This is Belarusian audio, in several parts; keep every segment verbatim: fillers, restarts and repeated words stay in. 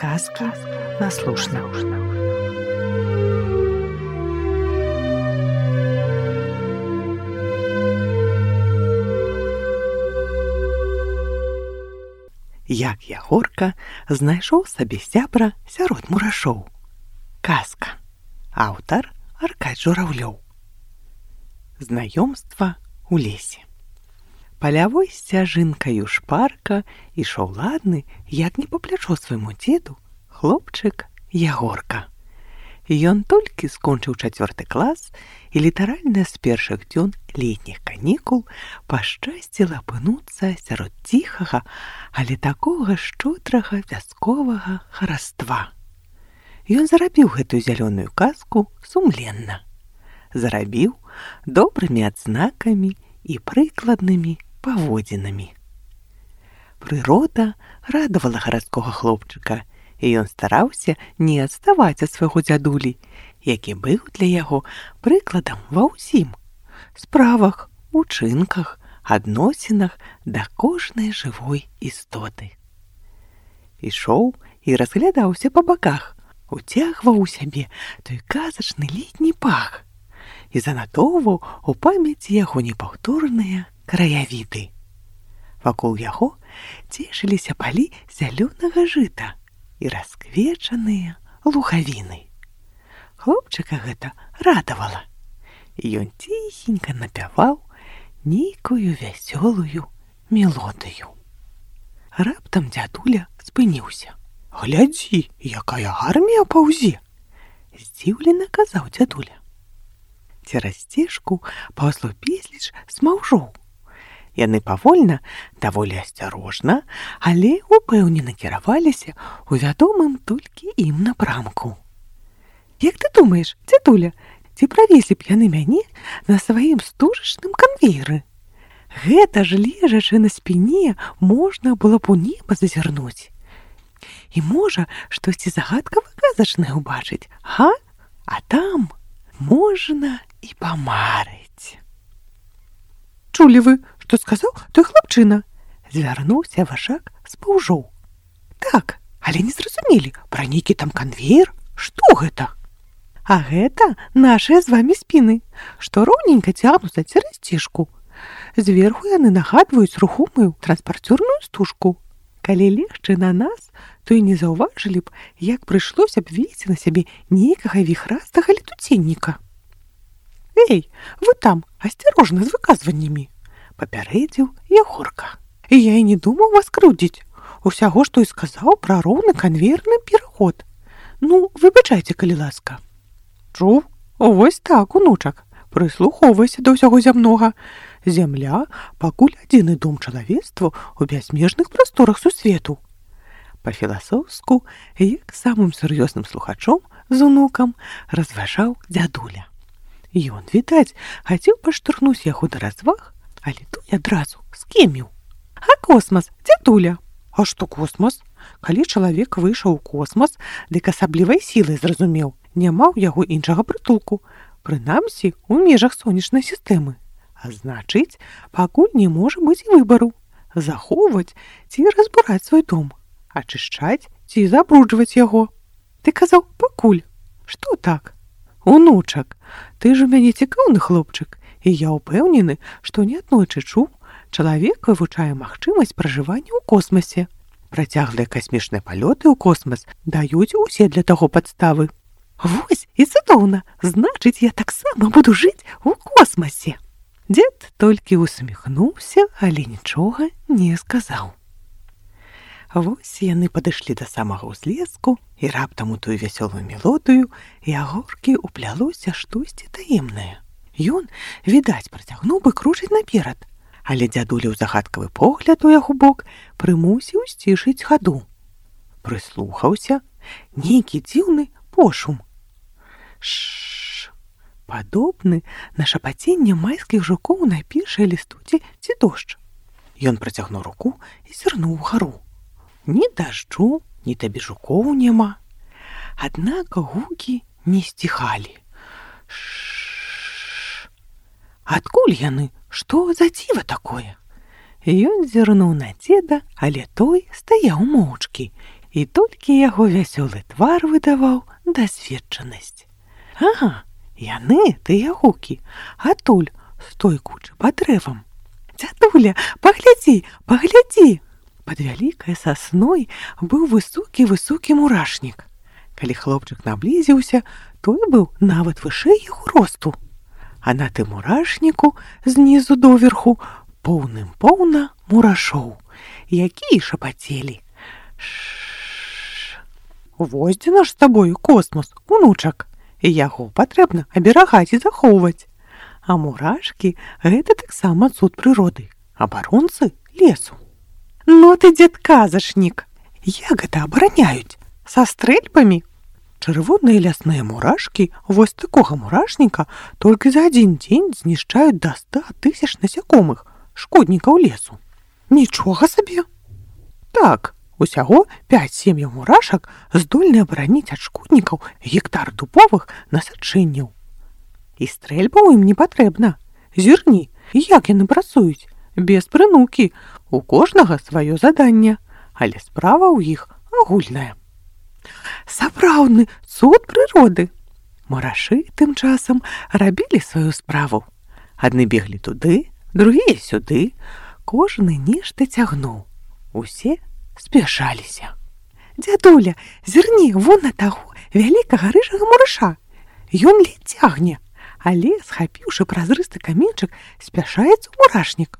Сказка на слушна. Як Ягорка знайшоў сабе сябра сярод мурашоў. Казка. Аўтар Аркадь Журавлёў. Знаёмства ў лесе. Палявой сцяжынкаю шпарка ішоў ладны, як не па плячо свайму дзеду, хлопчык Ягорка. Ён толькі скончыў чацвёрты клас, і літаральна з першых дзён летніх канікул пашчасціла апынуцца сярод ціхага, але такога шчодрага вясковага хараства. Ён зарабіў гэтую зялёную казку сумленна. Зарабіў добрымі адзнакамі і прыкладнымі паводзінамі. Прырода радавала гарадскога хлопчыка, і ён стараўся не адставаць ад свайго дзядулі, які быў для яго прыкладам ва ўсім справах, учынках, адносінах да кожнай жывой істоты. Ішоў і разглядаўся па баках, уцягваў у сябе той казачны летні пах і занатоўваў у памяці яго непаўторныя краявіды. Вакол яго цешыліся палі зялёнага жыта і расквечаныя лугавіны. Хлопчыка гэта радавала, і ён ціхенька напяваў нейкую вясёлую мелодыю. Раптам дзядуля спыніўся. «Глядзі, якая армія паўзе!» — здзіўлена казаў дзядуля. Цераз сцежку паўзло безліч смаўжоў. Яны павольна, даволі асцярожна, але упэўнена кіраваліся ў вядомым толькі ім напрамку. «Як ты думаеш, дзядуля, ці правезлі б яны мяне на сваім стужачным канвееры? Гэта ж лежачы на спіне можна было б у неба зазірнуць. І можа, штосьці загадкава-казачнае ўбачыць, га? А там можна і памарыць». «Чулі вы, што сказаў той хлапчына?» — звярнуўся Вашак з паўжоў. «Так, але не зразумелі, пра нейкі там канвеер? Што гэта?» «А гэта нашыя з вамі спіны, што роўненька цягнуцца цераз сцежку. Зверху яны нагадваюць рухомую транспарцёрную стужку. Калі легчы на нас, то і не заўважылі б, як прыйшлося б весці на сябе нейкага віхрастага летуценніка». «Эй, вы там, асцярожна з выказваннямі!» — папярэдзіў Ягорка. «І я і не думаў вас крыўдзіць. Усяго, што і сказаў пра роўны канвеерны пераход. Ну, выбачайце, калі ласка». «Чуў? Вось так, унучак, прыслухоўвайся да ўсяго зямнога. Зямля пакуль адзіны дом чалавецтву ў бязмежных прасторах сусвету». Па-філасофску, як самым сур'ёзным слухачом з унукам разважаў дзядуля. Ён, відаць, хацеў паштурхнуць яго да разваг, але той адразу скеміў. «А космас, дзядуля?» «А што космас? Калі чалавек выйшаў у космас, дык асаблівай сілай зразумеў, няма ў яго іншага прытулку, прынамсі ў межах сонечнай сістэмы. А значыць, пакуль не можа быць і выбару — захоўваць ці разбураць свой дом, ачышчаць ці забруджваць яго. Ты казаў пакуль. Што так? Унучак, ты ж у мяне цікаўны хлопчык, і я ўпэўнены, што неаднойчы чуў, чалавек вывучае магчымасць пражывання ў космасе. Працяглыя касмічныя палёты ў космас даюць усе для таго падставы». «Вось і цудоўна, значыць, я таксама буду жыць у космасе». Дзед толькі усміхнуўся, але нічога не сказаў. Вось яны падышлі да самага ўзлеску, і раптам у тую вясёлую мелодыю Ягоркі ўплялося штосьці таемнае. Ён, відаць, працягнуў бы кружыць наперад, але дзядуля ў загадкавы погляд у яго бок прымусіў сцішыць хаду. Прыслухаўся, нейкі дзіўны пошум. Ш-ш-ш, падобны на шапаценне майскіх жукоў на першай лістуце ці дождж. Ён працягнуў руку і зірнуў угару. Ні дажджу, ні табе жукоў няма. Аднак гукі не сціхалі. Ш-ш-ш. Адкуль яны? Што за дзіва такое? Ён зірнуў на дзеда, але той стаяў моўчкі, і толькі яго вясёлы твар выдаваў дасведчанасць. Ага, яны, тыя гукі, адтуль, з той кучы пад дрэвам. Дзядуля, паглядзі, паглядзі! Пад вялікай сасной быў высокі-высокі мурашнік. Калі хлопчык наблізіўся, той быў нават вышэй яго росту. А на тым мурашніку знізу доверху поўным-поўна мурашоў, якія шапацелі. Ш-ш-ш. Вось дзе наш з табою космос, унучак. Яго патрэбна аберагаць і захоўваць. А мурашкі – гэта таксама цуд прыроды, абаронцы лесу. Ну ты, дзед-казачнік, як гэта абараняюць? Са стрэльбамі? Чырвоныя лясныя мурашкі вось такога мурашніка толькі за адзін дзень знішчаюць да ста тысяч насякомых, шкоднікаў лесу. Нічога сабе! Так, усяго пяць сем'яў мурашак здольны абараніць ад шкоднікаў гектар дубовых насаджэнняў. І стрэльбаў ім не патрэбна. Зірні, як яны працуюць? Без прынукі. У кожнага сваё заданне, але справа ў іх агульная. Сапраўдны цуд прыроды. Мурашы тым часам рабілі сваю справу. Адны беглі туды, другія сюды. Кожны нешта цягнуў. Усе спяшаліся. Дзядуля, зірні вон на таго вялікага рыжага мураша. Ён ледзь цягне, але, схапіўшы празрысты каменьчык, спяшаецца ў мурашнік.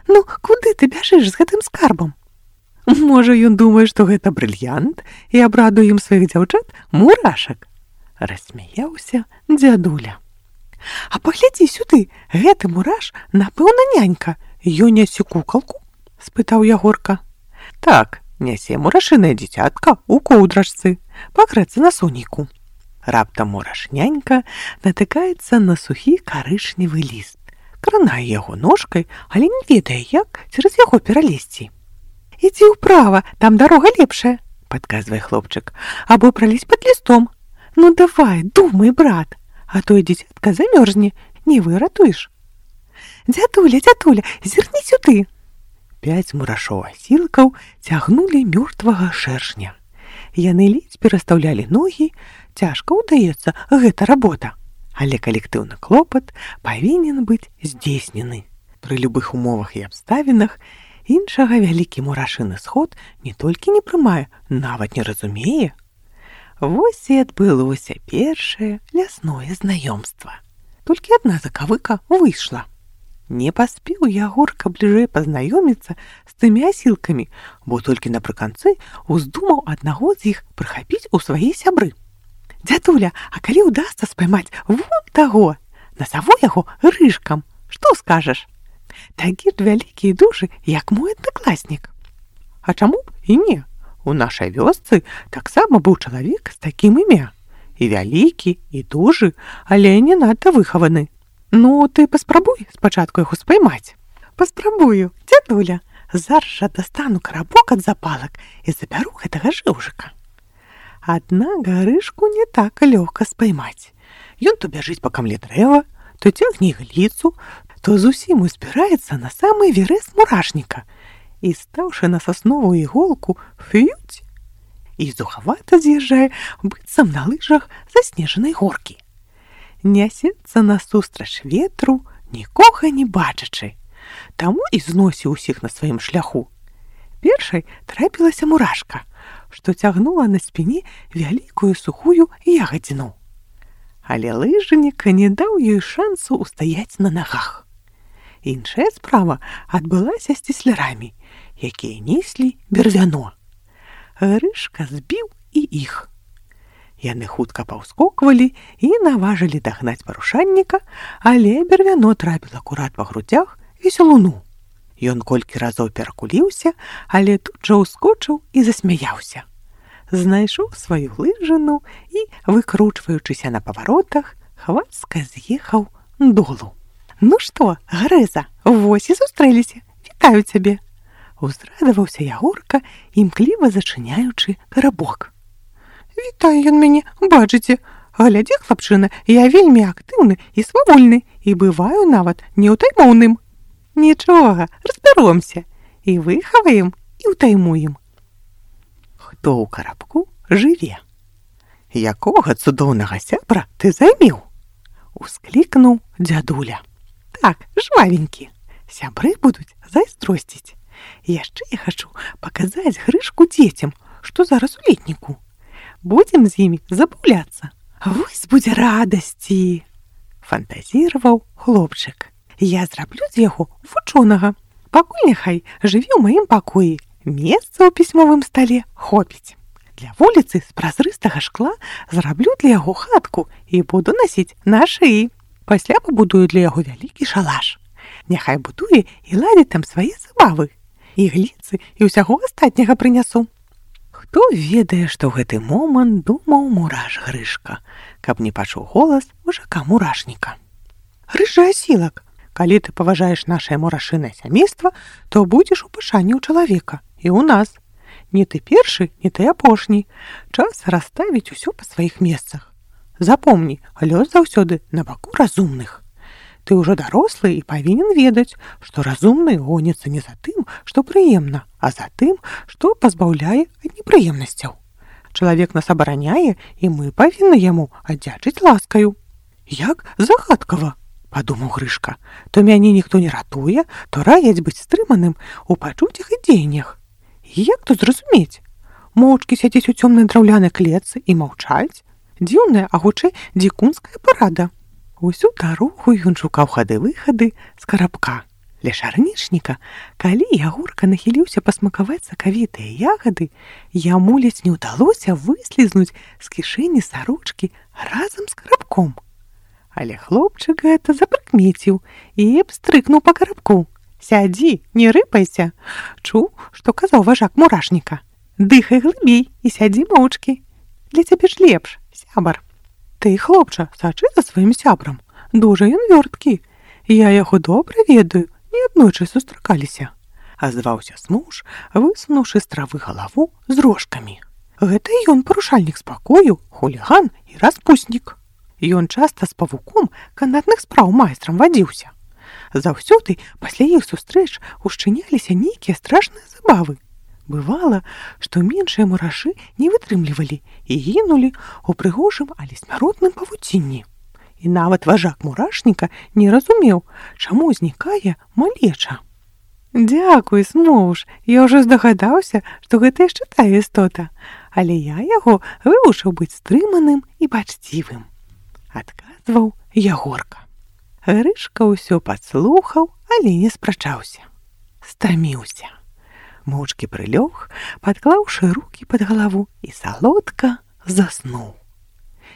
Ну, куды ты бяжыш з гэтым скарбам? Можа, ён думае, што гэта брыльянт і абрадуе ім сваіх дзяўчат мурашак. Рассмяяўся дзядуля. А паглядзі сюды, гэты мураш, напэўна, нянька. Ён нясе кукалку? Спытаў Ягорка. Так, нясе мурашынае дзіцятка ў коўдрачцы, пакрэцца на сонейку. Раптам мураш-нянька натыкаецца на сухі карычневы ліст. Кранае яго ножкай, але не ведае, як цераз яго пералезці. Ідзі ўправа, там дарога лепшая, падказвае хлопчык, або пралезь пад лістом. Ну давай, думай, брат, а то і дзіцятка замёрзне, не выратуеш. Дзядуля, дзядуля, зірні сюды. Пяць мурашоў-асілкаў цягнулі мёртвага шэршня. Яны ледзь перастаўлялі ногі, цяжка ўдаецца гэта работа. Але калектыўны клопат павінен быць здзейснены. Пры любых умовах і абставінах іншага вялікі мурашыны сход не толькі не прымае, нават не разумее. Вось і адбылося першае лясное знаёмства. Толькі адна закавыка выйшла. Не паспеў Ягорка бліжэй пазнаёміцца з тымі асілкамі, бо толькі напрыканцы уздумаў аднаго з іх прыхапіць у свае сябры. Дзядуля, а калі ўдасца спаймаць вон таго, назаву яго рыжкам, што скажаш? Такі ж вялікі і дужы, як мой аднакласнік. А чаму б і не? У нашай вёсцы таксама быў чалавек з такім імя. І вялікі, і дужы, але не надта выхаваны. Ну, ты паспрабуй спачатку яго спаймаць. Паспрабую, дзядуля. Зараз жа дастану карабок ад запалак і забяру гэтага жыўжыка. Аднак гарышку не так лёгка спаймаць. Ён то бяжыць па камле дрэва, то цягне ігліцу, то зусім узбіраецца на самы верэс мурашніка і, стаўшы на сасновую іголку, фюць, і зухавата з'язджае, быццам на лыжах заснежанай горкі. Нясецца насустрач ветру, нікога не бачачы, таму і зносіў усіх на сваім шляху. Першай трапілася мурашка, што цягнула на спіне вялікую сухую ягадзіну. Але лыжнік не даў ёй шансу ўстаяць на нагах. Іншая справа адбылася з цеслярамі, якія неслі бервяно. Грышка збіў і іх. Яны хутка паўскоквалі і наважылі дагнаць парушальніка, але бервяно трапіла акурат па грудзях весялуну. Ён колькі разоў перакуліўся, але тут жа ўскочыў і засмяяўся. Знайшоў сваю лыжыну і, выкручваючыся на паваротах, хвацка з'ехаў долу. Ну што, Грэза, вось і сустрэліся, вітаю цябе. Узрадаваўся Ягорка, імкліва зачыняючы карабок. Вітае ён мяне, бачыце. Глядзі, хлапчына, я вельмі актыўны і свавольны, і бываю нават неўтаймоўным. Нічога, разбяромся, і выхаваем, і ўтаймуем. хто ў карабку жыве. Якога цудоўнага сябра ты займеў? Усклікнуў дзядуля. Так, жвавенькі, сябры будуць зайздросціць. Яшчэ я хачу паказаць Грышку дзецям, што зараз у летніку. Будзем з імі забаўляцца. Вось будзе радасці, фантазіраваў хлопчык. Я зраблю з яго вучонага. Пакуль няхай жыве ў маім пакоі. Месца ў пісьмовым стале хопіць. Для вуліцы з празрыстага шкла зраблю для яго хатку і буду насіць на шыі. Пасля пабудую для яго вялікі шалаш. Няхай будуе і ладзіць там свае забавы. І гліцы, і ўсяго астатняга прынясу. Хто ведае, што ў гэты момант думаў мураш Грышка, каб не пачуў голас мужака мурашніка. Рыжы асілак, калі ты паважаеш нашае мурашынае сямейства, то будзеш у пашане ў чалавека і ў нас. Не ты першы, не ты апошні. Час расставіць усё па сваіх месцах. Запомні, лёс заўсёды на баку разумных. Ты ўжо дарослы і павінен ведаць, што разумны гоніцца не за тым, што прыемна, а за тым, што пазбаўляе ад непрыемнасцяў. Чалавек нас абараняе, і мы павінны яму аддзячыць ласкаю. Як загадкава, падумаў Грышка. То мяне ніхто не ратуе, то раяць быць стрыманым у пачуццях і дзеяннях. Як тут зразумець? Моўчкі сядзець у цёмнай драўлянай клетцы і маўчаць? Дзіўная, а хутчэй дзікунская парада. Усю дарогу ён шукаў хады-выхады з карабка. Ля шарнічніка, калі Ягорка нахіліўся пасмакаваць сакавітыя ягады, яму ледзь не ўдалося выслізнуць з кішэні сарочкі разам з карабком. Але хлопчык гэта запрыкмеціў і абстрыкнуў па карабку. Сядзі, не рыпайся. Чуў, што казаў важак мурашніка. Дыхай глыбей і сядзі моўчкі. Для цябе ж лепш, сябар. Ты, хлопча, сачы за сваім сябрам. Дужа ён вёрткі. Я яго добра ведаю, неаднойчы сустракаліся. Азваўся смуж, высунуўшы з травы галаву з рожкамі. Гэта ён парушальнік спакою, хуліган і распуснік. Ён часта з павуком канатных спраў майстрам вадзіўся. Заўсёды пасля іх сустрэч ушчыняліся нейкія страшныя забавы. Бывала, што меншыя мурашы не вытрымлівалі і гінулі ў прыгожым, але смяротным павуцінні. І нават важак мурашніка не разумеў, чаму знікае малеча. Дзякуй, смуж, я ўжо здагадаўся, што гэта яшчэ тая істота, але я яго вывучыў быць стрыманым і бачцівым, адказваў Ягорка. Грышка ўсё падслухаў, але не спрачаўся. Стаміўся. Моўчкі прылёг, падклаўшы рукі пад галаву і салодка заснуў.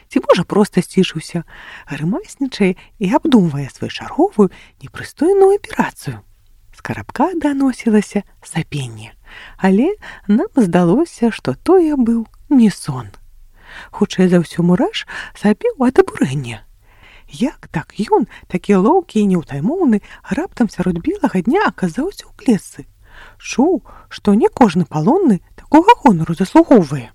Ці можа проста сцішыўся, грымаснічае і абдумвае сваю чарговую непрыстойную аперацыю. З карабка даносілася сапенне, але нам здалося, што тое быў не сон. Хутчэй за ўсё мураш сапеў ад абурэння. Як так ён, такі лоўкі і неўтаймоўны, раптам сярод белага дня аказаўся ў клетцы? Чуў, што не кожны палонны такога гонару заслугоўвае.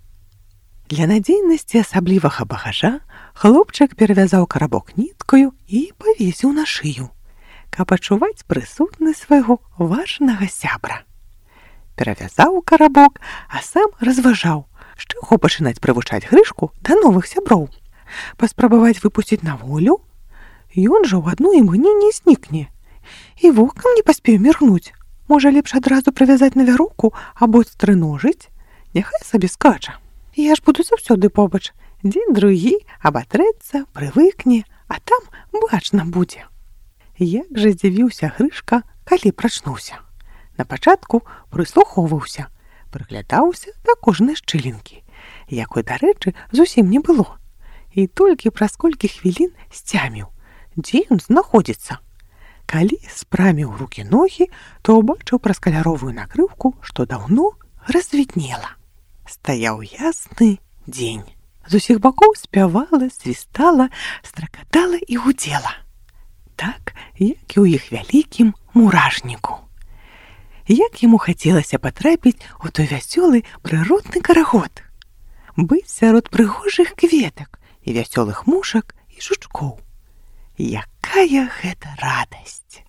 Для надзейнасці асаблівага багажа хлопчык перавязаў карабок ніткаю і павесіў на шыю, каб адчуваць прысутнасць свайго важнага сябра. Перавязаў карабок, а сам разважаў, з чаго пачынаць прывучаць Грышку да новых сяброў. Паспрабаваць выпусціць на волю? Ён жа ў адно імгненне знікне. І вокам не паспею міргнуць. Можа, лепш адразу прывязаць на вяроўку або стрыножыць? Няхай сабе скача. Я ж буду заўсёды побач. Дзень другі абатрэцца, прывыкне, а там бачна будзе. Як жа здзівіўся Грышка, калі прачнуўся. Напачатку прыслухоўваўся, прыглядаўся да кожнай шчылінкі, якой, дарэчы, зусім не было. І толькі праз колькі хвілін сцяміў, дзе ён знаходзіцца. Калі спраміў рукі-ногі, то ўбачыў праз каляровую накрыўку, што даўно развіднела. Стаяў ясны дзень. З усіх бакоў спявала, свістала, стракатала і гудзела. Так, як і ў іх вялікім мурашніку. Як яму хацелася патрапіць у той вясёлы прыродны карагод. Быць сярод прыгожых кветак і вясёлых мушак і жучкоў. Якая гэта радасць!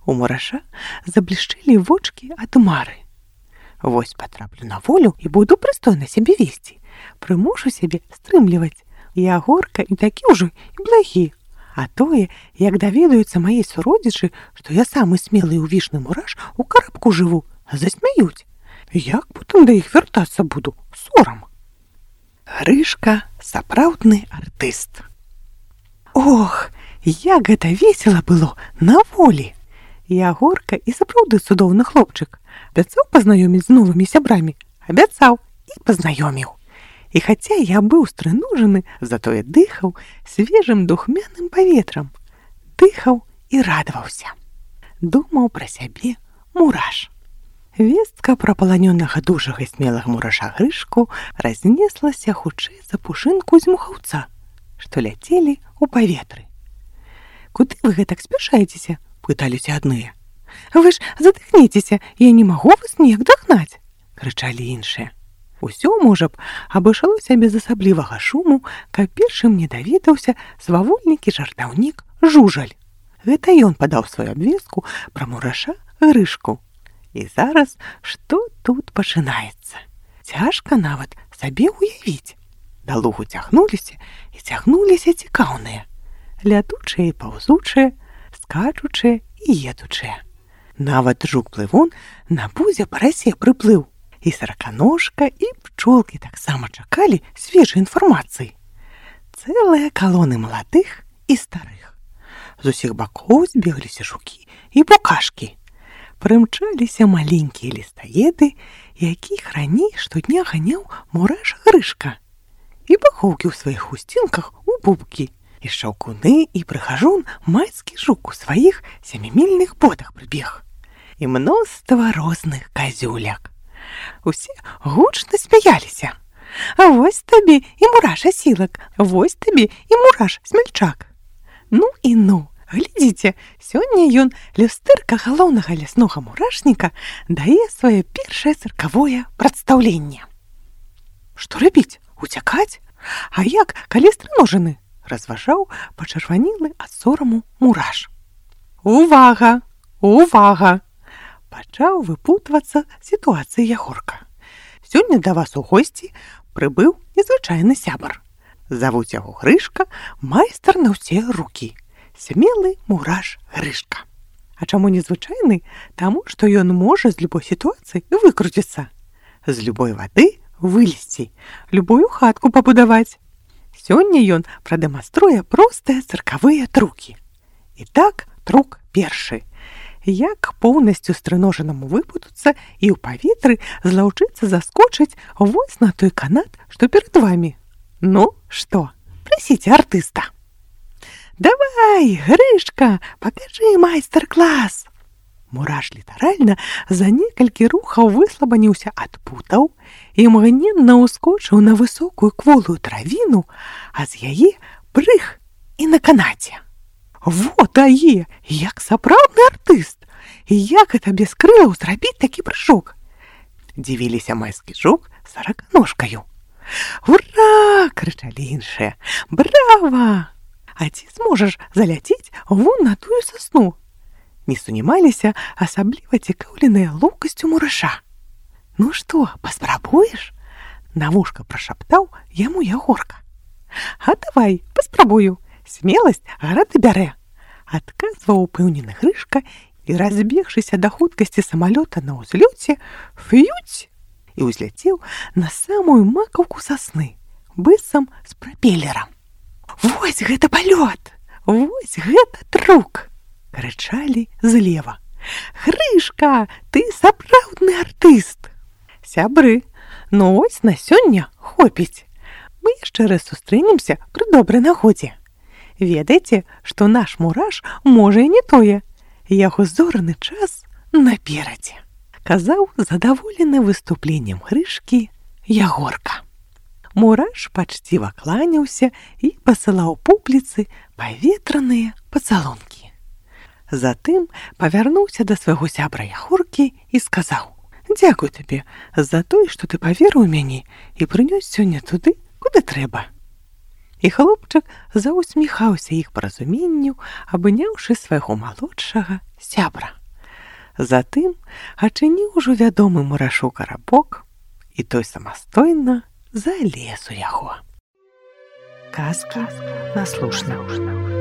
У мураша заблішчэлі вочкі ад мары. Вось патраплю на волю і буду прыстойна сябе весці. Прымушу сябе стрымліваць. Ягорка і такі ўжо і благі. А тое, як даведаюцца мае суродзічы, што я самы смелы ўвішны мураш у карабку жыву, засмяюць. Як потым да іх вяртацца буду? Сорам. Грышка сапраўдны артыст. Ох, як гэта весела было на волі! Ягорка і сапраўды цудоўны хлопчык. Абяцаў пазнаёміць з новымі сябрамі, абяцаў і пазнаёміў. І хаця я быў стрынужаны, затое дыхаў свежым духмяным паветрам, дыхаў і радаваўся. Думаў пра сябе мураш. Вестка пра паланёнага дужага і смелага мураша Грышку разнеслася хутчэй за пушынку з мухаўца, што ляцелі ў паветры. «Куды вы гэтак спяшаецеся?» – пыталіся адныя. «Вы ж задыхніцеся, я не магу вас ніяк дагнаць!» – крычалі іншыя. Усё, можа б, абышлося без асаблівага шуму, каб першым не даведаўся свавольнікі жартаўнік Жужаль. Гэта ён падаў сваю абвестку пра мураша Грышку. І зараз што тут пачынаецца? Цяжка нават сабе ўявіць. Да лугу цягнуліся і цягнуліся цікаўныя. Лятучыя і паўзучыя, скачучыя і едучыя. Нават жук-плывун на пузе парасе прыплыў. І сараканожка, і пчолкі таксама чакалі свежай інфармацыі. Цэлыя калоны маладых і старых. З усіх бакоў збегліся жукі і букашкі. Прымчаліся маленькія лістаеды, якіх раней штодня ганяў мураш Грышка. І бахоўкі ў сваіх хусцінках у бубкі. І шаўкуны, і прыхажун майскі жук у сваіх сямімільных ботах прыбег. І мноства розных казюляк. Усе гучна смяяліся. А вось табе і мураш асілак, вось табе і мураш смельчак. Ну і ну, глядзіце, сёння ён, люстэрка галоўнага ляснога мурашніка, дае сваё першае цыркавое прадстаўленне. Што рабіць? Уцякаць? А як, калі стрыножаны? Разважаў пачырванелы ад сораму мураш. Увага! Увага! Пачаў выпутвацца сітуацыі Ягорка. Сёння да вас у госці прыбыў незвычайны сябар. Завуць яго Грышка, майстар на ўсе рукі. Смелы мураш Грышка. А чаму незвычайны? Таму, што ён можа з любой сітуацыі выкруціцца. З любой вады вылезці, любую хатку пабудаваць. Сёння ён прадэманструе простыя цыркавыя трукі. І так, трук першы. Як поўнасцю стрыножанаму выпутацца і ў паветры злаўчыцца заскочыць вось на той канат, што перад вамі. Ну, што, прасіце артыста. Давай, Грышка, пакажы майстар-клас. Мураш літаральна за некалькі рухаў выслабаніўся ад путаў і мгненна ўскочыў на высокую кволую травіну, а з яе прыг і на канаце. Во дае, як сапраўдны артыст! І як гэта без крылаў зрабіць такі прыжок? Дзівіліся майскі жук з сараканожкаю. Ура! Крычалі іншыя. Брава! А ці зможаш заляціць вон на тую сасну? Не сунімаліся асабліва цікаўленыя лоўкасцю мураша. Ну што, паспрабуеш? На вушка прашаптаў яму Ягорка. А давай, паспрабую. Смеласць гарады бярэ. Адказваў упэўнены Грышка і, разбегшыся да хуткасці самалёта на ўзлёце, фюць! І ўзляцеў на самую макаўку сасны, быццам з прапелерам. Вось гэта палёт! Вось гэта трук! Крычалі злева. Грышка, ты сапраўдны артыст! Сябры, ну вось на сёння хопіць. Мы яшчэ раз сустрэнемся пры добрай нагодзе. Ведаеце, што наш мураш можа і не тое. Яго зорны час наперадзе. Казаў задаволены выступленнем Грышкі Ягорка. Мураш пачціва кланяўся і пасылаў публіцы паветраныя пацалункі. Затым павярнуўся да свайго сябра Ягоркі і сказаў: «Дзякуй табе за тое, што ты паверыў у мяне і прынёс сёння туды, куды трэба». І хлопчык заўсміхаўся іх паразуменню, абняўшы свайго малодшага сябра. Затым адчыніў ужо вядомы мурашу карабок, і той самастойна залез у яго. Казкі на слушна.